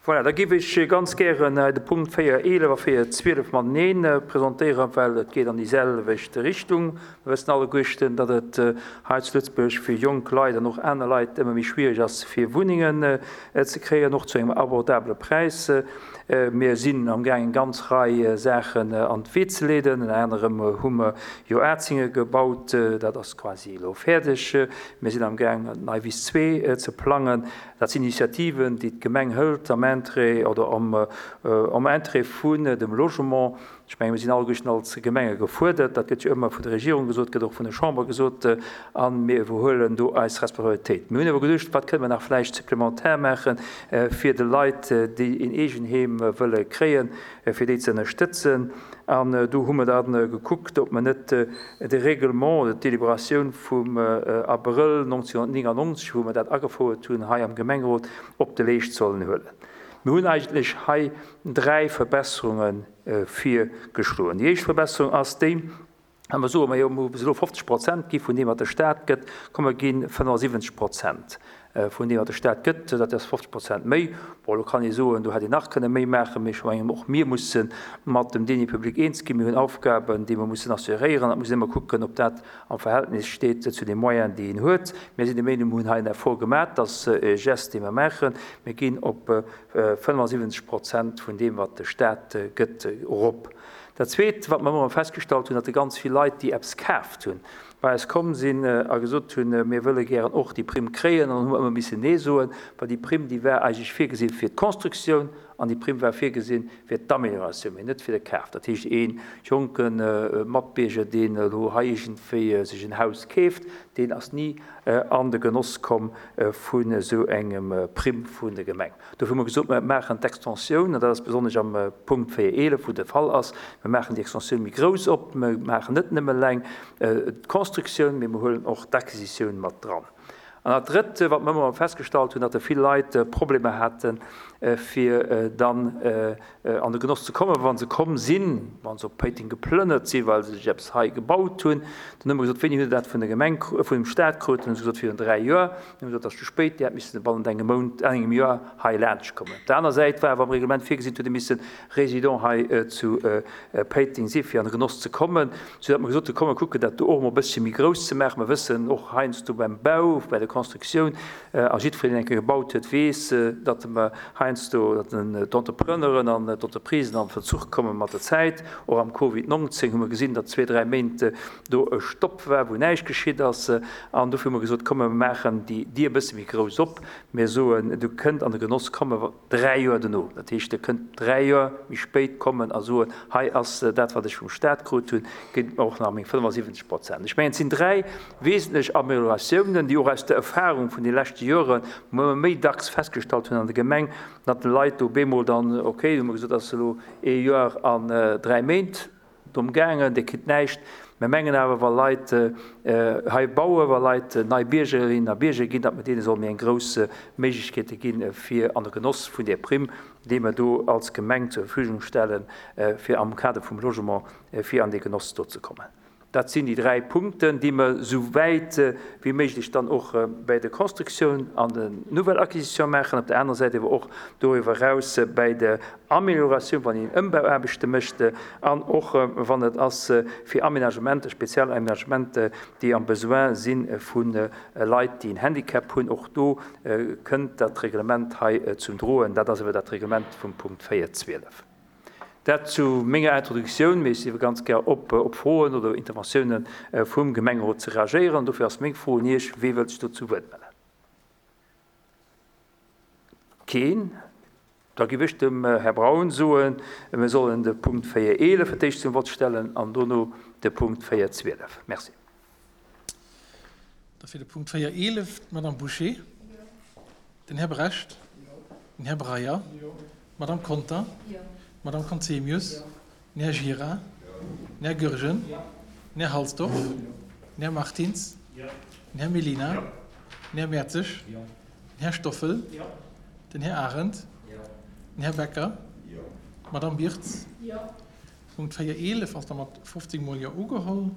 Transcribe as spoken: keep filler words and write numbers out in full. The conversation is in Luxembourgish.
Voilà, da géif ech ganz gären de Punkt véier eelef a véier zwielef matenee presentéieren, well et geet an déi selwecht Richtung. Mir wëssen alleguerten, datt et hei zu Lëtzebuerg fir jonk Leit an och aner Leit ëmmer méi schwierig ass, fir Wunnengen ze kréien, och zu engem abordabele Präis. Mir sinn amgaangen, eng ganz Rei Saachen an d'Wee ze leeden. Ënner anerem hu mer jo Atzinge gebaut, dat ass quasi elo fäerdeg. Mir sinn amgaangen, d'Neiwiss zwee ze plangen. Dat sinn Initiativen, déi d'Gemeng hëlt am Interêt oder am, am Interêt vun dem Logement. Ech mengen, mir sinn alleguerten als Gemenge gefuerdert. Dat gëtt jo ëmmer vun der Regierung gesot, gëtt och vun der Chamber gesot, a mir iwwerhuelen do eis Responsabilitéit. Mir hunn awer geduecht, wat kënne mer nach vläicht supplementär maachen, fir de Leit, déi een Eegenheem wëlle kréien, fir déi ze ënnerstëtzen. An do hu mer dann gekuckt, ob mer net de Règlement oder d'Deliberatioun vum Abrëll neunzehnhundertneunundneunzeg, wou mer dat agefouert hunn hei am Gemengerot, op de Leescht sollen huelen. Mir hunn eigentlech hei dräi Verbesserunge virgeschloen. Déi éischt Verbesserung ass déi, a mer soen, majo, mir hu bis elo fofzeg Prozent gi vun deem, wat de Staat gëtt, komm mer gi fënnefensiwwenzeg Prozent vun deem, wat de Staat gëtt, dat ass fofzeg Prozent méi. Bon, elo kann ee soen, do hätt een nach kënne méi maachen, mee ech mengen, och mir musse mat dem Denier public eens ginn. Mir hunn Aufgaben, déi mer mussen assuréieren, an et muss een ëmmer kucken, ob dat am Verhältnis steet zu de Moyens, déi een huet. Mir sinn der Meenung, mir hunn hei en Effort gemaach, dat ass e Geste, dee mer maachen. Mir ginn op fënnefensiwwenzeg Prozent vun deem, wat de Staat gëtt, erop. Dat Zweet, wat mer ëmmer festgestallt hunn, datt ganz vill Leit, déi eppes kaaft hunn, bei eis komm sinn a gesot hunn, mir wëlle gären och déi Primm kréien, an dann hu mer ëmmer missen Nee soen, well déi Primm, déi war eigentlech virgesinn fir d'Constructioun an déi Primm war virgesinn fir d'Amélioratioun, mee net fir de Kaf. Dat heescht, ee jonke Matbierger, deen elo hei iergendwéi sech en Haus keeft, deen ass ni an de Genoss komm vun esou engem Primm vun der Gemeng. Dofir hu mer gesot, mer maachen d'Extensioun, an dat ass besonnesch am Punkt véier eelef, wou de Fall ass, mer maachen déi Extensioun méi grouss op, mer maachen net nëmme eleng d'Constructioun, mee mer huelen och d'Acquisitioun mat dran. An dat Drëtt, wat mer ëmmer festgestallt hunn, datt vill Leit Problemer haten, fir dann an de Genoss ze kommen, wa se komm sinn, wa se op Péiteng geplënnert sinn, well se sech eppes hei gebaut hunn. Dann hu mer gesot, wéini hutt Der dat vun der Gemeng, vun dem Staat krut? Dann hu se gesot, virun dräi Joer. Dann hu mer gesot, dat ass ze spéit, Dir hätt missen bannent engem Mount, engem Joer hei laanscht kommen. Op der aner Säit war awer am Reglement virgesinn, et huet ee missen Résident hei zu Péiteng sinn, fir an de Genoss ze kommen, soudatt mer gesot hunn, komm mer kucken dat do och emol e bëssche méi grouss ze maachen. Mer wëssen och heiansdo beim Bau, bei der Constructioun, a jiddwereen, deen eng Kéier gebaut huet, weess, datt mer heiansdo, datt d'Entrepreneuren an d'Entreprisen an Verzuch komme mat der Zäit. Och am Covid neunzehn hu mer gesinn, datt zwee, dräi Méint do e Stopp war, wou näischt geschitt ass. An dofir hu mer gesot, komm mer maachen déi Dier e bësse méi grouss op. Mir soen, du kënnt an de Genoss komme dräi Joer dono. Dat heescht, Dir kënnt dräi Joer méi spéit kommen a soen, hei ass dat, wat ech vum Staat krut hunn, gitt mer och nach meng fënnefensiwwenzeg Prozent. Ech mengen, et sinn dräi wesentlech Améliorationen, déi och aus der Erfahrung vun de leschte Joren, wou mer méi dacks festgestallt hunn an der Gemeng, datt de Leit do bemol dann, okay, hu mer gesot, ass elo ee Joer an dräi Méint drëm gaangen, Dir kritt näischt. Mir mengen awer, wa Leit hei bauen, wa Leit nei Biergerinnen a Bierger ginn, datt mer deene solle méi eng grouss Méiglechkeete ginn, fir an de Genoss vun där Primm, déi mer do als Gemeng zur Verfügung stellen, fir am Kader vum Logement, fir an dee Genoss do ze kommen. Dat sinn déi dräi Punkten, déi mer esou wäit wéi méiglech dann och bäi der Constructioun an der Nouvelle Acquisition maachen, op der anerer Säit awer och doriwwer eraus bäi der Amélioratioun, wann een Ëmbauaarbechte mécht, an och wann et ass fir Aménagementer, speziell Aménagementer, déi am Besoin si vu Leit, déi en Handicap hunn. Och do kënnt dat Reglement hei zum Droen. Dat ass awer dat Reglement vum Punkt véier zwielef. Dat zu menger Introduktioun, mee ech si ganz gär op, op Froen oder Interventiounen vum Gemengerot ze reagéieren. Dofir ass meng Fro un Iech, wee wëllt sech do zu Wuert mellen? Keen. Da giff ech dem Här Braun soen, mir sollen de Punkt véier eelef fir d'éischt zum Vott stellen an dono de Punkt véier zwielef. Merci. Da fir de Punkt véier eelef d'Madame Bouché, den Här Brecht, den Här Breyer, d'Madame Conter, d'Madame Conzemius, den Här Gira, den Här Goergen, den Här Halsdorf, den Här Martins, den Här Mellina, den Här Mertzig, den Här Stoffel, den Här Arendt, den Här Becker, d'Madame Birtz. Punkt véier eelef ass da mat fofzéng mol Jo ugeholl.